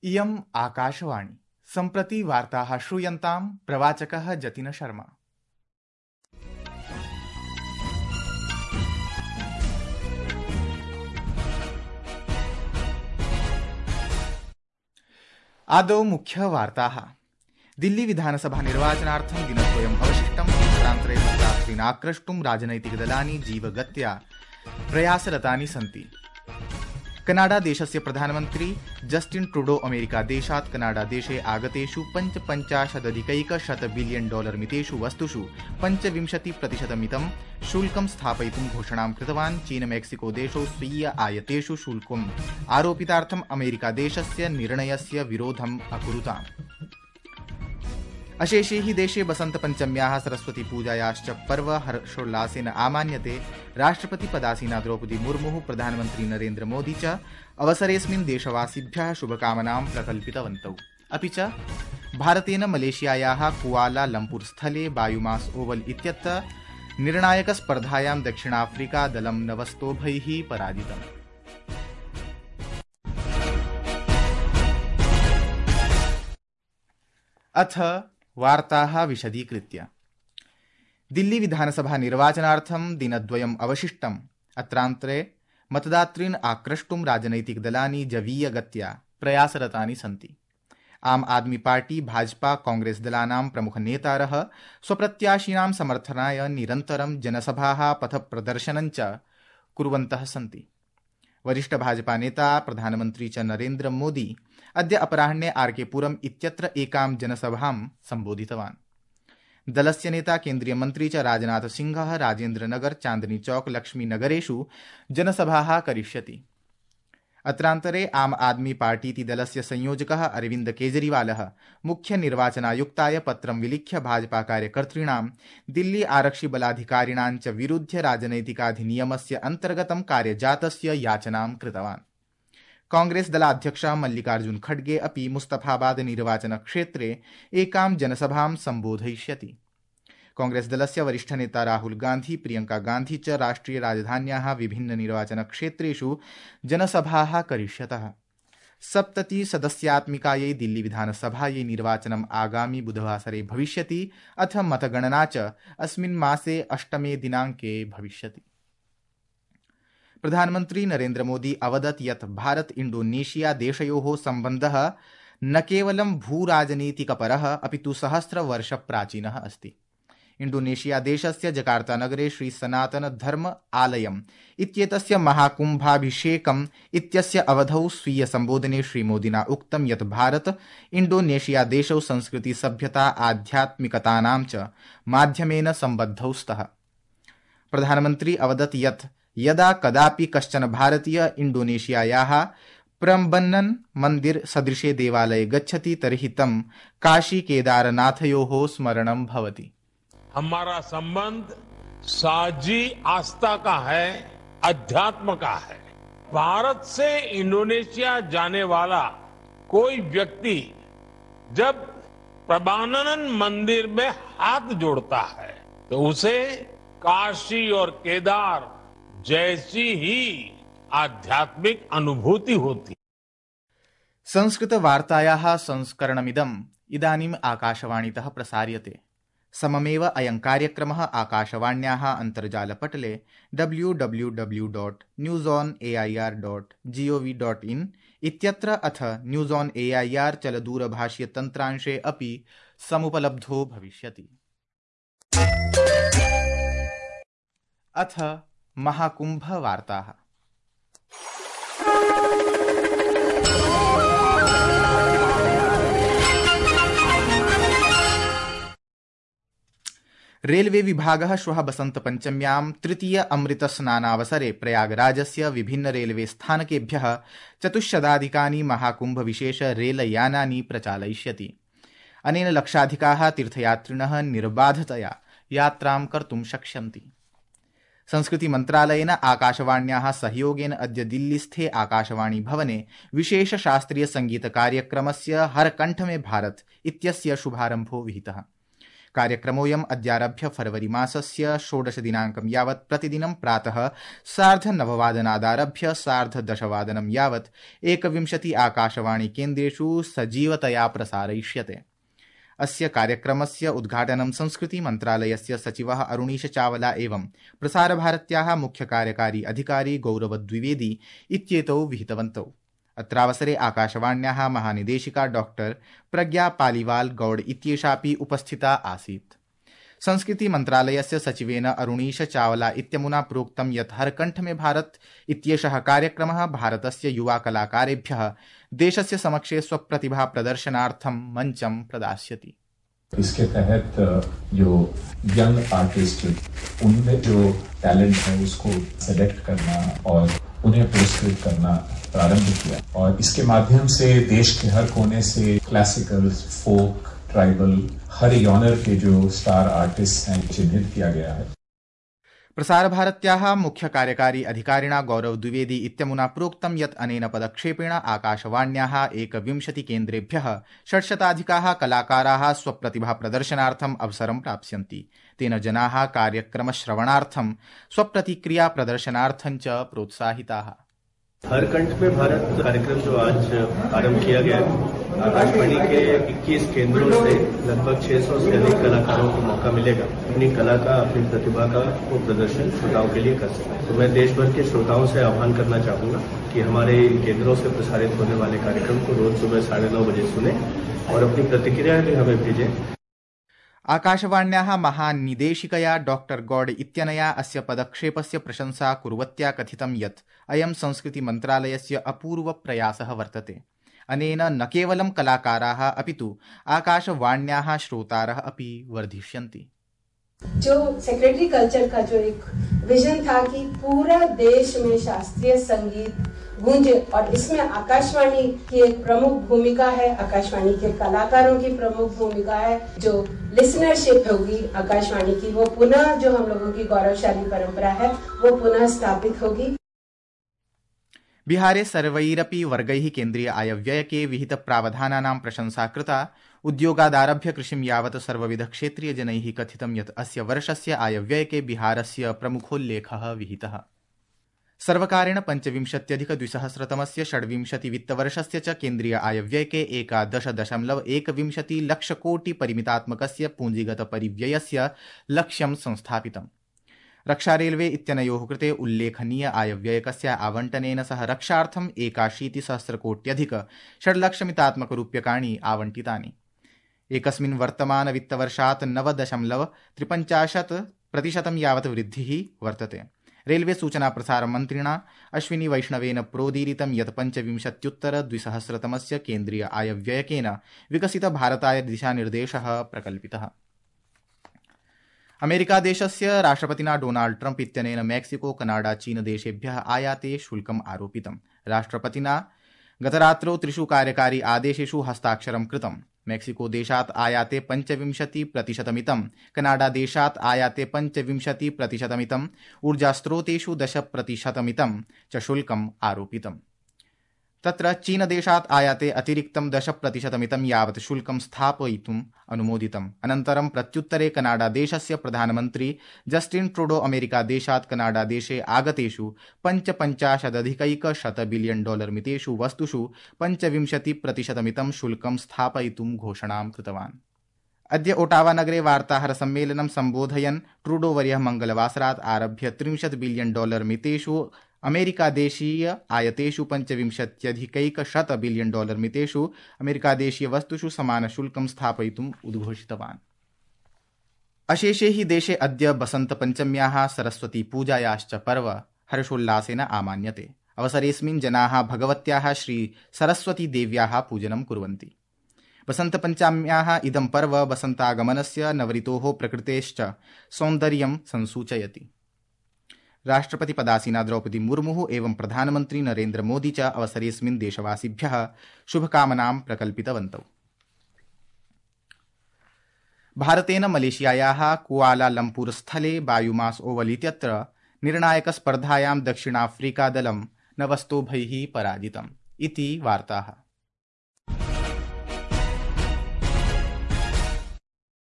इयम् आकाशवाणी सम्प्रति वार्ताः श्रूयन्तां प्रवाचकः जतिन शर्मा। आदौ मुख्यवार्ताः। दिल्ली विधानसभा निर्वाचनार्थं दिनद्वयम् अवशिष्टम्। रात्रे मतदातॄन् राजनैतिकदलानि जीवगत्या प्रयासरतानि सन्ति। कनाडा देशस्य प्रधानमन्त्री जस्टिन ट्रूडो अमेरिका देशात् कनाडा देशे आगतेषु 55,100 बिलियन डॉलर मितेषु वस्तुषु 25% शुल्कं स्थापयितुं घोषणां कृतवान्। चीन मेक्सिको देशौ स्वीय आयातेषु शुल्कम् आरोपितार्थम् अमेरिका देशस्य निर्णयस्य विरोधम् अकुरुताम्। अशेषे हि देशे बसन्तपञ्चम्याः सरस्वती पूजायाश्च पर्व हर्षोल्लासेन आमान्यते। राष्ट्रपति पदासीना द्रौपदी मुर्मुः प्रधानमन्त्री नरेन्द्र मोदी च अवसरेऽस्मिन् देशवासिभ्यः शुभकामनां प्रकल्पितवन्तौ। अपि च भारतेन मलेशियायाः कुआला लम्पुर स्थले बायुमास ओवल इत्यत्र निर्णायकस्पर्धायां दक्षिणाफ्रीका दलं 9-2 पराजितम्। अथ वार्ताः विशदीकृत्य। दिल्ली विधानसभा निर्वाचनार्थं दिनद्वयम् अवशिष्टम्। अत्रान्तरे मतदातॄन् आक्रष्टुं राजनैतिकदलानि जवीयगत्या प्रयासरतानि सन्ति। आम आदमी पार्टी, भाजपा, कांग्रेस दलानां प्रमुखनेतारः स्वप्रत्याशिनां समर्थनाय निरन्तरं जनसभाः पथप्रदर्शनञ्च कुर्वन्तः सन्ति। वरिष्ठ भाजपा नेता प्रधानमन्त्री च नरेन्द्र मोदी अद्य अपराह्ने आरके पुरम् इत्यत्र एकां जनसभां सम्बोधितवान्। दलस्य नेता केन्द्रीय मन्त्री च राजनाथ सिंहः राजेन्द्रनगर, चांदनी चौक, लक्ष्मीनगरेषु जनसभाः करिष्यति। अत्रान्तरे आम आदमी पार्टीति दलस्य संयोजकः अरविन्द केजरीवालः मुख्य निर्वाचनायुक्ताय पत्रं विलिख्य भाजपा कार्यकर्तॄणां दिल्ली आरक्षिबलाधिकारिणां च विरुध्य राजनैतिकाधिनियमस्य अन्तर्गतं कार्यजातस्य याचनां कृतवान्। कांग्रेस दलाध्यक्षः मल्लिकार्जुन खड़गे अपि मुस्तफाबाद निर्वाचनक्षेत्रे एकां जनसभां सम्बोधयिष्यति। कांग्रेस दलस्य वरिष्ठ नेता राहुल गांधी, प्रियंका गांधी च राष्ट्रिय राजधान्याः विभिन्न निर्वाचनक्षेत्रेषु जनसभाः करिष्यतः। 70 सदस्यात्मिकायै दिल्ली विधानसभायै निर्वाचनम् आगामि बुधवासरे भविष्यति। अथ मतगणना च अस्मिन् मासे 8 दिनाङ्के भविष्यति। प्रधानमन्त्री नरेन्द्र मोदी अवदत् यत् भारत इंडोनेशिया देशयोः सम्बन्धः न केवलं भूराजनीतिकपरः अपितु सहस्रवर्षप्राचीनः अस्ति। इंडोनेशिया देशस्य जकार्ता नगरे श्री सनातन धर्म आलयम् इत्येतस्य महाकुम्भाभिषेकम् इत्यस्य अवधौ स्वीय सम्बोधने श्रीमोदिना उक्तं यत् भारत इंडोनेशिया देशौ संस्कृति, सभ्यता, आध्यात्मिकतानां च माध्यमेन सम्बद्धौ स्तः। प्रधानमन्त्री अवदत् यत् यदा कदापि कश्चन भारतीय इंडोनेशियायाः प्रम्बन्नन मंदिर सदृशे देवालये गच्छति तर्हि तं काशी केदारनाथयोः स्मरणं भवति। हमारा संबंध साझी आस्था का है, अध्यात्म का है। भारत से इंडोनेशिया जाने वाला कोई व्यक्ति जब प्रम्बन्नन मंदिर में हाथ जोड़ता है तो उसे काशी और केदार जैसी ही आध्यात्मिक अनुभूति होती। संस्कृत वार्तायाः संस्करणमिदम् इदानीम् आकाशवाणीतः प्रसार्यते। सममेव अयं कार्यक्रमः आकाशवाण्याः अन्तर्जालपटले www.newsonair.gov.in इत्यत्र अथ न्यूज ऑन एआईआर चलदूरभाषीय तन्त्रांशे अपि समुपलब्धो भविष्यति। अथ महाकुंभ वार्ताः। रेलवे विभागः श्वः बसन्तपञ्चम्यां तृतीय अमृतस्नानावसरे प्रयागराजस्य विभिन्न रेलवे स्थानकेभ्यः 400 महाकुंभ विशेष रेलयानानि प्रचालयिष्यति। अनेन लक्षाधिकाः तीर्थयात्रिणः निर्बाधतया यात्रां कर्तुं शक्ष्यन्ति। संस्कृति मन्त्रालयेन आकाशवाण्याः सहयोगेन अद्य दिल्लीस्थे आकाशवाणी भवने विशेष शास्त्रीय संगीत कार्यक्रमस्य हर कंठ में भारत इत्यस्य शुभारम्भो विहितः। कार्यक्रमोऽयम् अद्यारभ्य फरवरी मासस्य 16 दिनाङ्कं यावत् प्रतिदिनं प्रातः 9:30 10:30 यावत् 21 आकाशवाणी केन्द्रेषु सजीवतया प्रसारयिष्यते। अस्य कार्यक्रमस्य उद्घाटनं संस्कृति मन्त्रालयस्य सचिवः अरुणीश चावला एवं प्रसारभारत्याः मुख्य कार्यकारी अधिकारी गौरव द्विवेदी इत्येतौ विहितवन्तौ। अत्रावसरे आकाशवाण्याः महानिदेशिका डॉक्टर प्रज्ञा पालीवाल गौड़ इत्येषापि उपस्थिता आसीत्। संस्कृति मन्त्रालयस्य सचिवेन अरुणीश चावला इत्यमुना प्रोक्तं यत् हर कंठ में भारत इत्येषः कार्यक्रमः भारतस्य युवा कलाकारेभ्यः देशस्य समक्षे स्वप्रतिभा प्रदर्शनार्थं मञ्चं प्रदास्यति। इसके तहत जो यंग आर्टिस्ट उनमें जो टैलेंट है उसको सेलेक्ट करना और उन्हें पुरस्कृत करना प्रारंभ किया और इसके माध्यम से देश के हर कोने से क्लासिकल, फोक, ट्राइबल हर जॉनर के जो स्टार आर्टिस्ट हैं चिन्हित किया गया है। प्रसारभारत्याः मुख्य कार्यकारी अधिकारिणा गौरव द्विवेदी इत्यमुना प्रोक्तं यत् अनेन पदक्षेपेण आकाशवाण्याः 21 केन्द्रेभ्यः 600 कलाकाराः स्वप्रतिभा प्रदर्शनार्थम् अवसरं प्राप्स्यन्ति। तेन जनाः कार्यक्रमश्रवणार्थं स्वप्रतिक्रिया प्रदर्शनार्थं च प्रोत्साहिताः। हर कंठ में भारत कार्यक्रम जो आज आरंभ किया गया है, आकाशवाणी के 21 केंद्रों से लगभग 600 से अधिक कलाकारों को मौका मिलेगा अपनी कला का, अपनी प्रतिभा का वो प्रदर्शन श्रोताओं के लिए कर सकें। तो मैं देश भर के श्रोताओं से आह्वान करना चाहूंगा कि हमारे केंद्रों से प्रसारित होने वाले कार्यक्रम को रोज सुबह 9:30 बजे सुने और अपनी प्रतिक्रिया भी हमें भेजें। आकाशवाण्याः महानिदेशिकया डॉक्टर गौड़ इत्यनया अस्य पदक्षेपस्य प्रशंसा कुर्वत्या कथितं यत् अयं संस्कृति मन्त्रालयस्य अपूर्व प्रयासः वर्तते। अनेन न केवलं कलाकाराः अपितु आकाशवाण्याः श्रोतारः अपि वर्धिष्यन्ति। जो सेक्रेटरी कल्चर का जो एक विजन था कि पूरा देश में शास्त्रीय संगीत गूंजे और इसमें आकाशवाणी की एक प्रमुख भूमिका है, आकाशवाणी के कलाकारों की प्रमुख भूमिका है। जो लिसनरशिप होगी आकाशवाणी की वो पुनः जो हम लोगों की गौरवशाली परंपरा है वो पुनः स्थापित होगी। बिहारे सर्वैरपि वर्गैः केन्द्रीय आयव्ययके विहित प्रावधानानां प्रशंसा कृता। उद्योगादारभ्य कृषिं यावत् सर्वविध क्षेत्रीय जनैः कथितं यत् अस्य वर्षस्य आयव्ययके बिहारस्य प्रमुखोल्लेखः विहितः। सर्वकारेण 25,200 षड्विंशति वित्तवर्षस्य च केन्द्रीय आयव्ययके 11.1 लक्षकोटि परिमितात्मकस्य पूंजीगत परिव्ययस्य लक्ष्यं संस्थापितम्। रक्षा रेलवे इत्यनयोः कृते उल्लेखनीय आयव्ययकस्य आवंटनेन सह रक्षार्थं 81,000 कोट्यधिक 6 लक्षमितात्मकरूप्यकाणि आवंटितानि। एकस्मिन् वर्तमान वित्तवर्षात् 9.53% यावत् वृद्धिः वर्तते। रेलवे सूचना प्रसार मन्त्रिणा अश्विनी वैष्णवेन प्रोदीरितं यत् 25,200 केन्द्रीय आयव्ययकेन विकसित भारताय दिशानिर्देशः प्रकल्पितः। अमेरिका देशस्य राष्ट्रपतिना डोनाल्ड ट्रम्प इत्यनेन मेक्सिको, कनाडा, चीन देशेभ्यः आयाते शुल्कम् आरोपितम्। राष्ट्रपतिना गतरात्रौ 3 कार्यकारी आदेशेषु हस्ताक्षरं कृतम्। मेक्सिको देशात् आयाते 25%, कनाडा देशात् आयाते 25%, ऊर्जास्रोतेषु 10% च शुल्कम् आरोपितम्। तत्र चीन देशात् आयाते अतिरिक्तं 10% यावत् शुल्कं स्थापयितुम् अनुमोदितम्। अनन्तरं प्रत्युत्तरे कनाडा देशस्य प्रधानमन्त्री जस्टिन ट्रूडो अमेरिका देशात् कनाडा देशे आगतेषु 55,100 बिलियन डॉलर मितेषु वस्तुषु 25% शुल्कं स्थापयितुं घोषणां कृतवान्। अद्य ओटावा नगरे वार्ताहर सम्मेलनं सम्बोधयन् ट्रूडो वर्यः मंगलवासरात् आरभ्य 30 बिलियन डॉलर मितेषु अमेरिका देशीय आयतेषु 25,100 बिलियन डॉलर मितेषु अमेरिका देशीय वस्तुषु समान शुल्कं स्थापयितुम् उद्घोषितवान्। अशेषे हि देशे अद्य बसंत पंचम्याः सरस्वती पूजायाश्च पर्व हर्षोल्लासेन आमान्यते। अवसरेऽस्मिन् जनाः भगवत्याः श्री सरस्वती देव्याः पूजनं कुर्वन्ति। बसंत पंचम्याः इदं पर्व बसन्तागमनस्य नवऋतोः प्रकृतेश्च सौन्दर्यं संसूचयति। राष्ट्रपति पदासीना द्रौपदी मुर्मु एवं प्रधानमंत्री नरेंद्र मोदी च अवसरेऽस्मिन् देशवासिभ्यः शुभकामनां प्रकल्पितवन्तौ। भारतेन मलेशियायाः कुआलालम्पुर स्थले बायुमास ओवल इत्यत्र निर्णायक स्पर्धायां दक्षिणाफ्रीका दलं 9 स्तोभैः पराजितम् इति वार्ताः।